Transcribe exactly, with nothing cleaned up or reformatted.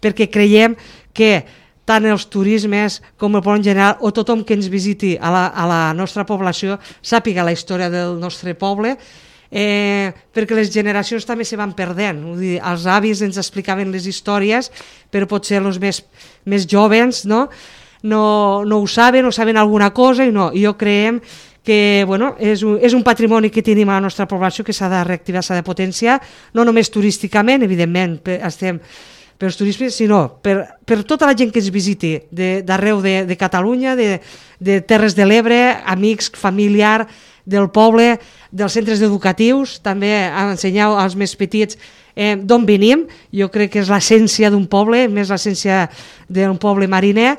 perquè creiem que tant els turismes com el poble en general, o tothom que ens visiti a la, a la nostra població, sàpiga la història del nostre poble, eh, perquè les generacions també se van perdent. Vull dir, els avis ens explicaven les històries, però potser els més, més joves no? No, no ho saben o saben alguna cosa, i no, i jo creiem que bueno, és, un, és un patrimoni que tenim a la nostra població que s'ha de reactivar, s'ha de potenciar, no només turísticament, evidentment, estem per els turistes, sinó per, per tota la gent que ens visiti d'arreu de, de Catalunya, de, de Terres de l'Ebre, amics, familiar del poble, dels centres educatius, també ensenyar als més petits eh, d'on venim. Jo crec que és l'essència d'un poble, més l'essència d'un poble mariner,